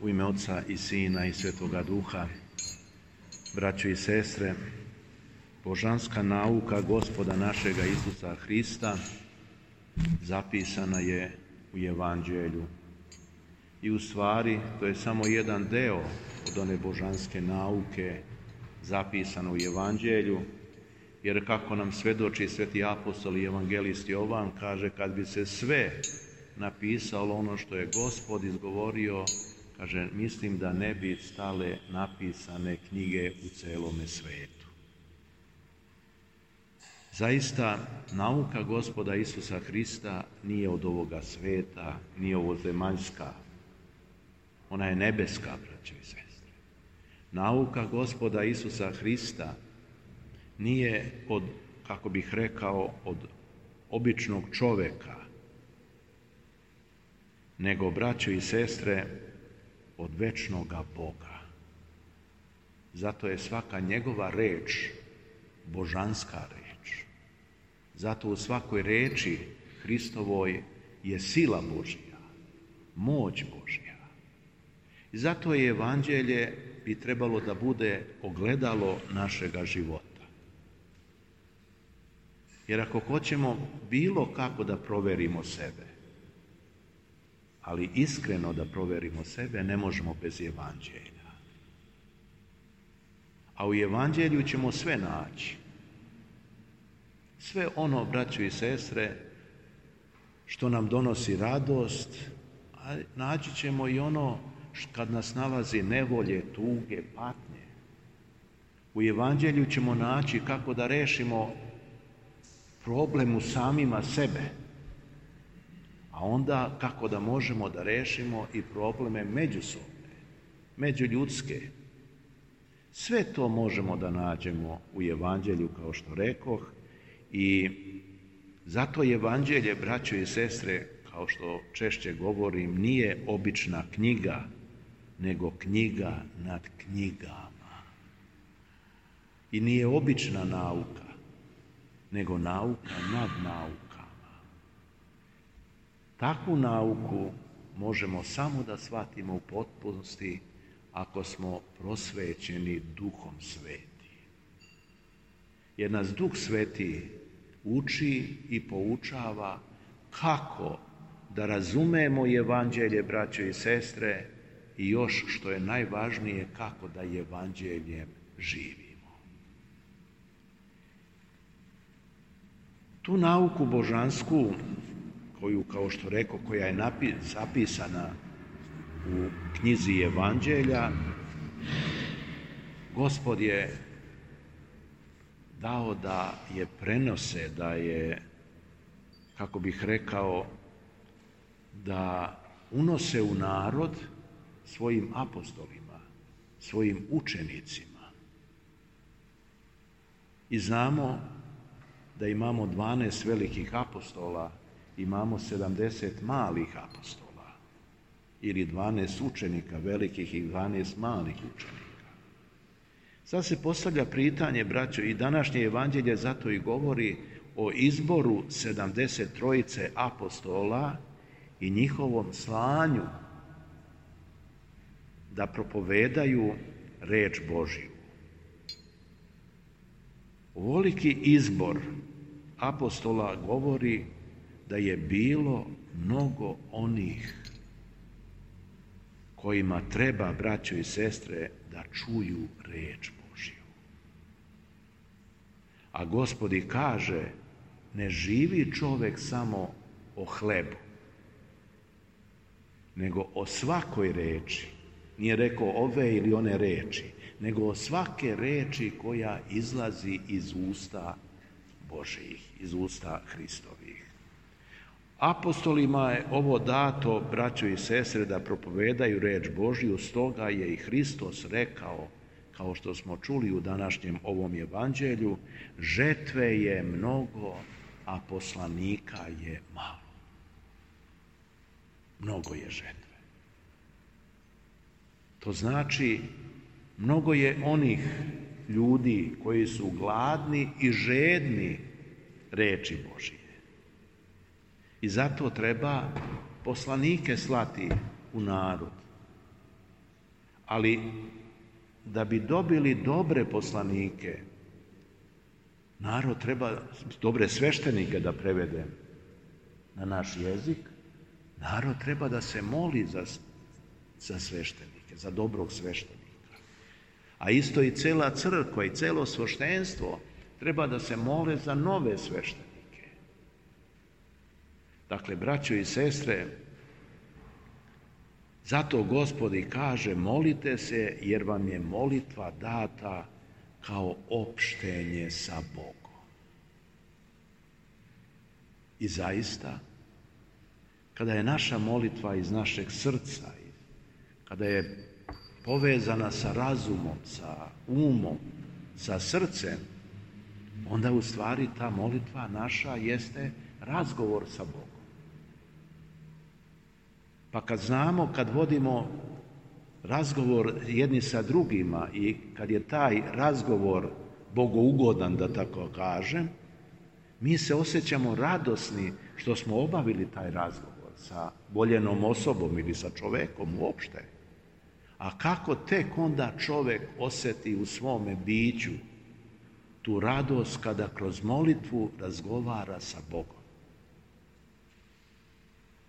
U ime Oca i Sina i Svetoga Duha, braćo i sestre, božanska nauka Gospoda našega Isusa Hrista zapisana je u Evanđelju. I u stvari to je samo jedan deo od one božanske nauke zapisano u Evanđelju, jer kako nam svedoči sveti apostol i evangelist Jovan, kaže, kad bi se sve napisalo ono što je Gospod izgovorio, kaže, mislim da ne bi stale napisane knjige u celome svetu. Zaista, nauka Gospoda Isusa Hrista nije od ovoga sveta, nije ovozemaljska. Ona je nebeska, braćo i sestre. Nauka Gospoda Isusa Hrista nije od, kako bih rekao, od običnog čoveka, nego, braćo i sestre, od večnoga Boga. Zato je svaka njegova reč božanska reč. Zato u svakoj reči Hristovoj je sila Božja, moć Božja. I zato je Evanđelje bi trebalo da bude ogledalo našega života. Jer ako hoćemo bilo kako da proverimo sebe, ali iskreno da proverimo sebe, ne možemo bez Evanđelja. A u Evanđelju ćemo sve naći. Sve ono, braćo i sestre, što nam donosi radost, a naći ćemo i ono kad nas nalazi nevolje, tuge, patnje. U Evanđelju ćemo naći kako da rešimo problem u samima sebe, a onda kako da možemo da rešimo i probleme međusobne, međuljudske. Sve to možemo da nađemo u Evanđelju, kao što rekoh, i zato Evanđelje, braćo i sestre, kao što češće govorim, nije obična knjiga, nego knjiga nad knjigama. I nije obična nauka, nego nauka nad naukama. Takvu nauku možemo samo da shvatimo u potpunosti ako smo prosvećeni Duhom Sveti. Jer nas Duh Sveti uči i poučava kako da razumemo Evanđelje, braćo i sestre, i još što je najvažnije, kako da Evanđeljem živimo. Tu nauku božansku, koju, kao što rekao, koja je zapisana u knjizi Evanđelja, Gospod je dao da je prenose, da je, kako bih rekao, da unose u narod svojim apostolima, svojim učenicima. I znamo da imamo 12 velikih apostola, imamo 70 malih apostola, ili 12 učenika velikih i 12 malih učenika. Sad se postavlja pitanje, braćo, i današnje Evanđelje zato i govori o izboru 73 apostola i njihovom slanju da propovedaju reč Božju. Ovoliki izbor apostola govori da je bilo mnogo onih kojima treba, braćo i sestre, da čuju reč Božju. A Gospod kaže, ne živi čovek samo o hlebu, nego o svakoj reči. Nije rekao ove ili one reči, nego o svake reči koja izlazi iz usta Božjih, iz usta Hristovih. Apostolima je ovo dato, braćo i sestre, da propovedaju reč Božju, stoga je i Hristos rekao, kao što smo čuli u današnjem ovom Evanđelju, žetve je mnogo, a poslanika je malo. Mnogo je žetve. To znači, mnogo je onih ljudi koji su gladni i žedni reči Božije. I zato treba poslanike slati u narod. Ali da bi dobili dobre poslanike, narod treba dobre sveštenike, da prevedem na naš jezik, narod treba da se moli za sveštenike, za dobrog sveštenika. A isto i cela crkva i celo sveštenstvo treba da se mole za nove sveštenike. Dakle, braćo i sestre, zato Gospod i kaže, molite se jer vam je molitva data kao opštenje sa Bogom. I zaista, kada je naša molitva iz našeg srca, kada je povezana sa razumom, sa umom, sa srcem, onda u stvari ta molitva naša jeste razgovor sa Bogom. Pa kad znamo, kad vodimo razgovor jedni sa drugima i kad je taj razgovor bogougodan, da tako kažem, mi se osjećamo radosni što smo obavili taj razgovor sa voljenom osobom ili sa čovekom uopšte. A kako tek onda čovek osjeti u svome biću tu radost kada kroz molitvu razgovara sa Bogom.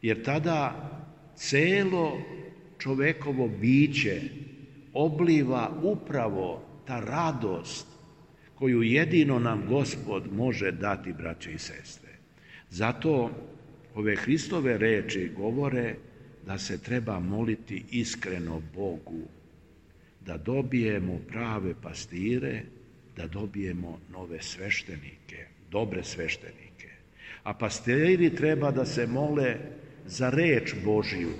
Jer tada celo čovekovo biće obliva upravo ta radost koju jedino nam Gospod može dati, braće i sestre. Zato ove Hristove reči govore da se treba moliti iskreno Bogu, da dobijemo prave pastire, da dobijemo nove sveštenike, dobre sveštenike. A pastiri treba da se mole za reč Božiju,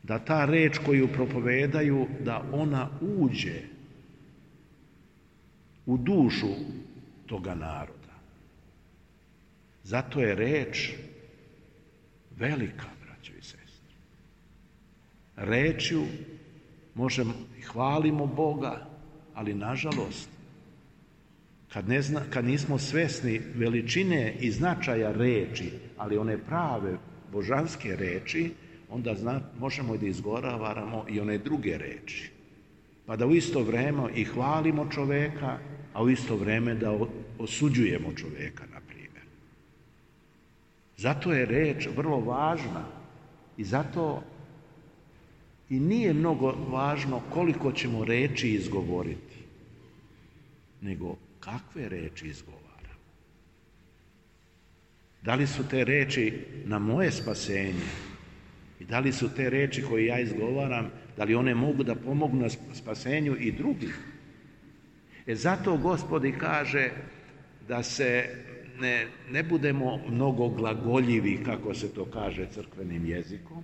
da ta reč koju propovedaju, da ona uđe u dušu toga naroda. Zato je reč velika, braćo i sestre. Rečju možemo i hvalimo Boga, ali nažalost, kad nismo svesni veličine i značaja reči, ali one prave božanske reči, onda možemo i da izgovaramo i one druge reči. Pa da u isto vreme i hvalimo čoveka, a u isto vreme da osuđujemo čoveka, na primjer. Zato je reč vrlo važna i zato i nije mnogo važno koliko ćemo reči izgovoriti, nego kakve reči izgovaramo. Da li su te reči na moje spasenje i da li su te reči koje ja izgovaram, da li one mogu da pomognu na spasenju i drugih. Zato Gospod i kaže da se ne budemo mnogo glagoljivi, kako se to kaže crkvenim jezikom,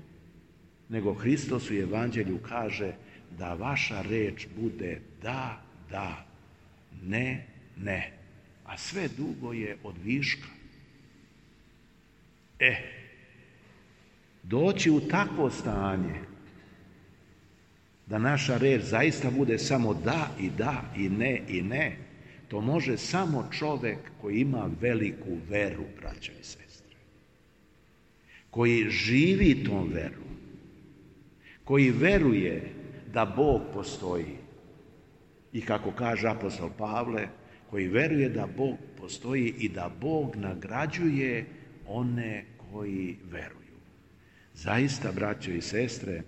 nego Hristos u Evanđelju kaže da vaša reč bude da, da, ne, ne, a sve drugo je od viška. Doći u takvo stanje da naša reč zaista bude samo da i ne, to može samo čovek koji ima veliku veru, braćo i sestre, koji živi tom veru, koji veruje da Bog postoji i kako kaže apostol Pavle, koji veruje da Bog postoji i da Bog nagrađuje one koji veruju. Zaista, braćo i sestre,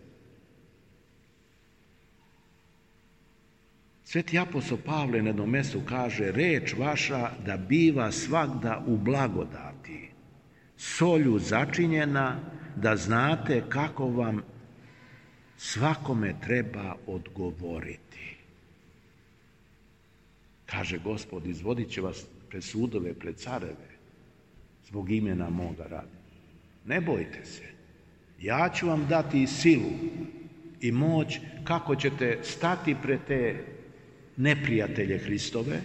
Sveti apostol Pavle na jednom mjestu kaže: reč vaša da biva svagda u blagodati, solju začinjena, da znate kako vam svakome treba odgovoriti. Kaže Gospod, izvodit će vas pred sudove, pred careve, zbog imena moga radi. Ne bojte se, ja ću vam dati i silu i moć kako ćete stati pred te neprijatelje Hristove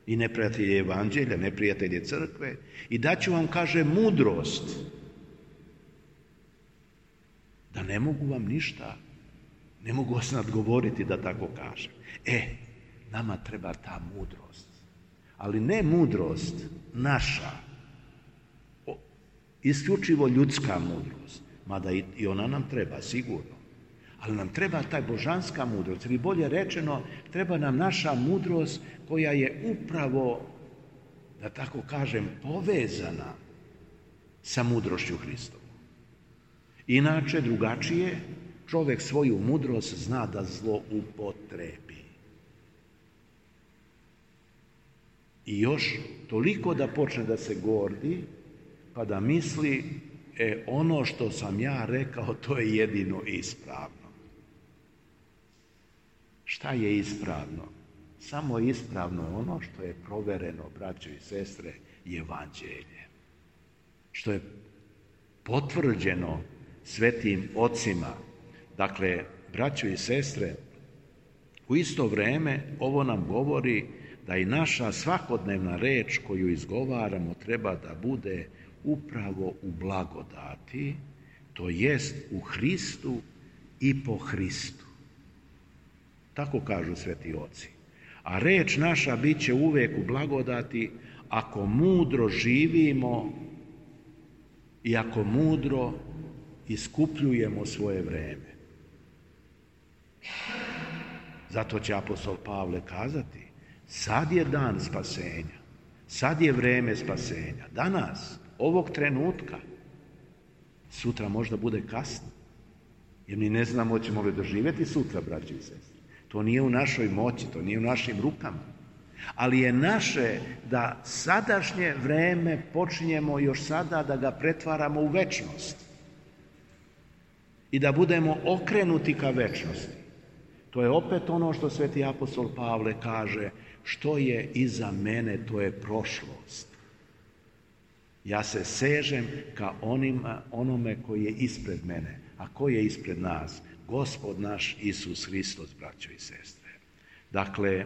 i neprijatelje Evanđelja, neprijatelje crkve, i daću vam, kaže, mudrost da ne mogu vam ništa, ne mogu vas nadgovoriti, da tako kažem. Nama treba ta mudrost, ali ne mudrost naša, isključivo ljudska mudrost, mada i ona nam treba sigurno, Ali nam treba taj božanska mudrost, ili bolje rečeno, treba nam naša mudrost koja je upravo, da tako kažem, povezana sa mudrošću Hristovom. Inače, drugačije, čovjek svoju mudrost zna da zloupotrebi. I još toliko da počne da se gordi, pa da misli, ono što sam ja rekao, to je jedino ispravno. Šta je ispravno? Samo je ispravno ono što je provereno, braćo i sestre, evanđelje. Što je potvrđeno svetim ocima. Dakle, braćo i sestre, u isto vrijeme ovo nam govori da i naša svakodnevna reč koju izgovaramo treba da bude upravo u blagodati, to jest u Hristu i po Hristu. Tako kažu sveti oci. A reč naša bit će uvijek u blagodati ako mudro živimo i ako mudro iskupljujemo svoje vrijeme. Zato će apostol Pavle kazati, sad je dan spasenja, sad je vrijeme spasenja, danas, ovog trenutka, sutra možda bude kasno, jer mi ne znamo hoćemo li doživjeti sutra, braći i sestre. To nije u našoj moći, to nije u našim rukama. Ali je naše da sadašnje vrijeme počinjemo još sada da ga pretvaramo u večnost. I da budemo okrenuti ka večnosti. To je opet ono što sveti apostol Pavle kaže, što je iza mene, to je prošlost. Ja se sežem ka onome koji je ispred mene. A ko je ispred nas? Gospod naš Isus Hristos, braćo i sestre. Dakle,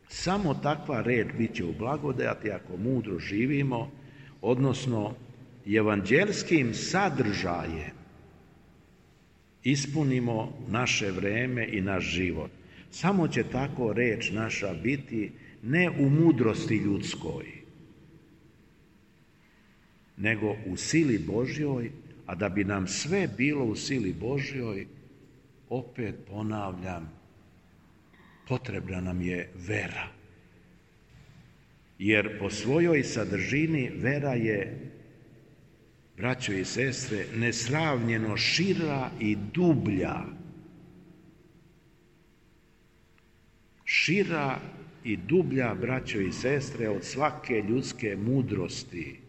samo takva reč bit će u blagodati ako mudro živimo, odnosno evanđelskim sadržajem ispunimo naše vrijeme i naš život. Samo će tako reč naša biti ne u mudrosti ljudskoj, nego u sili Božjoj, a da bi nam sve bilo u sili Božjoj, opet ponavljam, potrebna nam je vera. Jer po svojoj sadržini vera je, braćo i sestre, nesravnjeno šira i dublja. Šira i dublja, braćo i sestre, od svake ljudske mudrosti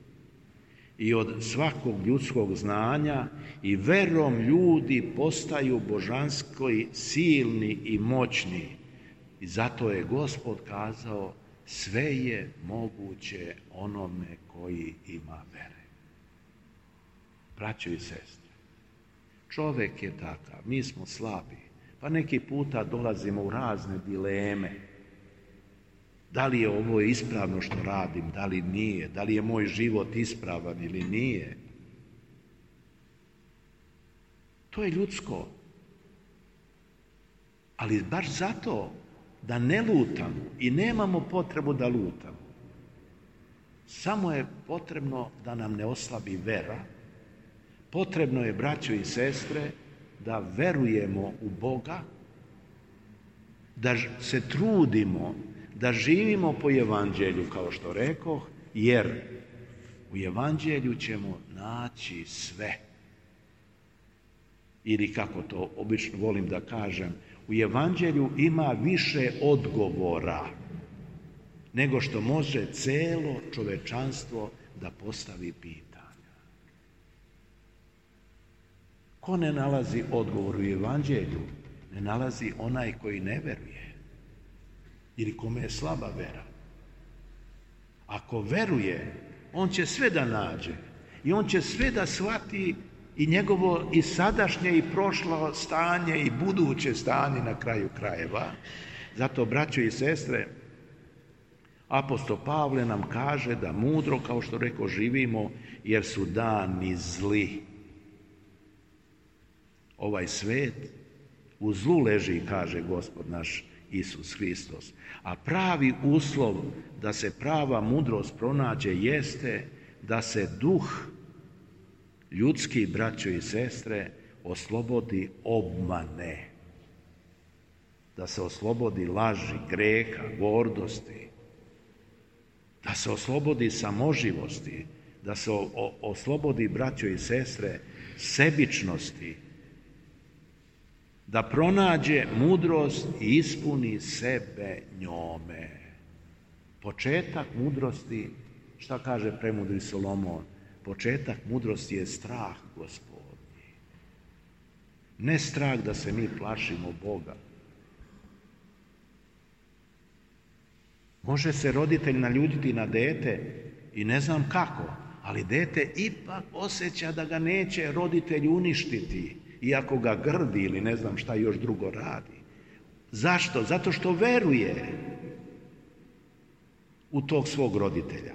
i od svakog ljudskog znanja, i verom ljudi postaju božanski silni i moćni. I zato je Gospod kazao, sve je moguće onome koji ima vere. Braćo i sestre, čovjek je takav, mi smo slabi, pa neki puta dolazimo u razne dileme. Da li je ovo ispravno što radim, da li nije, da li je moj život ispravan ili nije. To je ljudsko. Ali baš zato da ne lutamo i nemamo potrebu da lutamo. Samo je potrebno da nam ne oslabi vera. Potrebno je, braćo i sestre, da verujemo u Boga, da se trudimo, da živimo po evanđelju, kao što rekoh, jer u evanđelju ćemo naći sve. Ili kako to obično volim da kažem, u evanđelju ima više odgovora nego što može celo čovečanstvo da postavi pitanja. Ko ne nalazi odgovor u evanđelju, ne nalazi onaj koji ne veruje ili kome je slaba vera. Ako veruje, on će sve da nađe i on će sve da shvati, i njegovo i sadašnje i prošlo stanje i buduće stanje na kraju krajeva. Zato, braćo i sestre, apostol Pavle nam kaže da mudro, kao što rekao, živimo, jer su dani zli. Ovaj svet u zlu leži, kaže Gospod naš Isus Hristos. A pravi uslov da se prava mudrost pronađe jeste da se duh ljudski, braćo i sestre, oslobodi obmane, da se oslobodi laži, greha, gordosti, da se oslobodi samoživosti, da se oslobodi, braćo i sestre, sebičnosti, da pronađe mudrost i ispuni sebe njome. Početak mudrosti, šta kaže premudri Solomon? Početak mudrosti je strah Gospodnji. Ne strah da se mi plašimo Boga. Može se roditelj naljutiti na dete i ne znam kako, ali dete ipak osjeća da ga neće roditelj uništiti, iako ga grdi ili ne znam šta još drugo radi. Zašto? Zato što veruje u tog svog roditelja.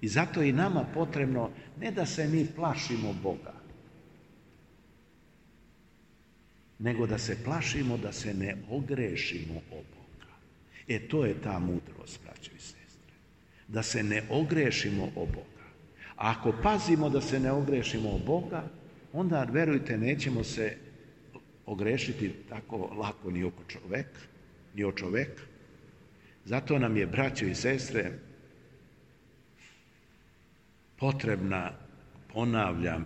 I zato je i nama potrebno ne da se mi plašimo Boga, nego da se plašimo da se ne ogrešimo o Boga. To je ta mudrost, braćo i sestre. Da se ne ogrešimo o Boga. A ako pazimo da se ne ogrešimo o Boga, onda, verujte, nećemo se ogrešiti tako lako ni o čoveka. Zato nam je, braćo i sestre, potrebna, ponavljam,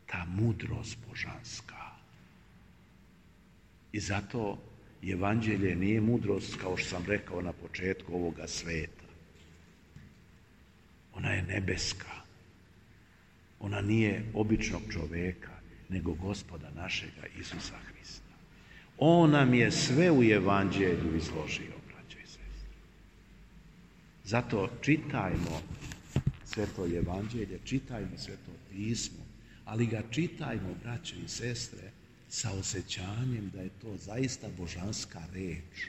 ta mudrost božanska. I zato evanđelje nije mudrost, kao što sam rekao na početku, ovoga sveta. Ona je nebeska. Ona nije običnog čoveka, nego Gospoda našega Isusa Hrista. On nam je sve u evanđelju izložio, braćo i sestre. Zato čitajmo sveto evanđelje, čitajmo sveto pismo, ali ga čitajmo, braćo i sestre, sa osjećanjem da je to zaista božanska reč.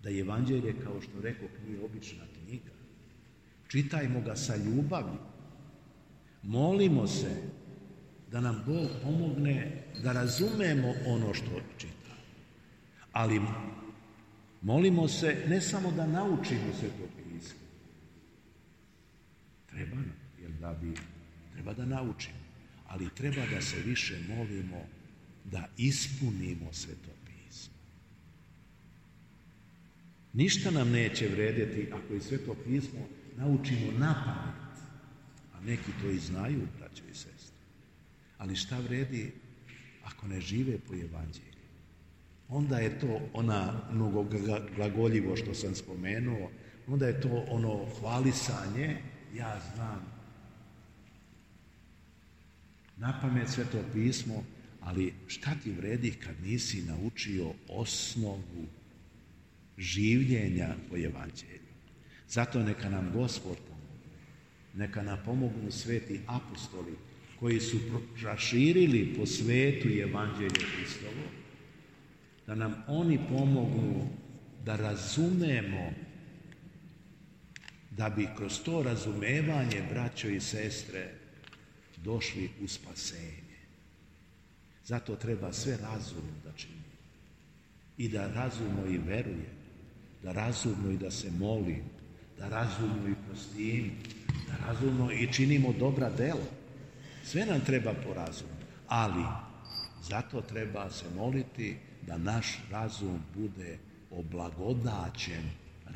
Da je evanđelje, kao što rekoh, nije obična knjiga. Čitajmo ga sa ljubavlju. Molimo se da nam Bog pomogne da razumemo ono što čitamo. Ali molimo se ne samo da naučimo sveto pismo. Treba da naučimo, ali treba da se više molimo da ispunimo sveto pismo. Ništa nam neće vredjeti ako i sveto pismo naučimo napamet, a neki to i znaju, braćo i sestre. Ali šta vredi ako ne žive po evanđelju? Onda je to ona mnogoglagoljivo što sam spomenuo, onda je to ono hvalisanje, ja znam napamet sveto pismo, ali šta ti vredi kad nisi naučio osnovu življenja po evanđelju? Zato neka nam Gospod pomogne, neka nam pomognu sveti apostoli koji su raširili po svetu evanđelje Hristovo, da nam oni pomognu da razumemo, da bi kroz to razumevanje, braćo i sestre, došli u spasenje. Zato treba sve razumno da činimo. I da razumno i veruje, da razumno i da se moli, da razumno i prostimo, da razumno i činimo dobra dela. Sve nam treba po razumu, ali zato treba se moliti da naš razum bude oblagodaćen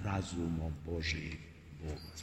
razumom Božijim Boga.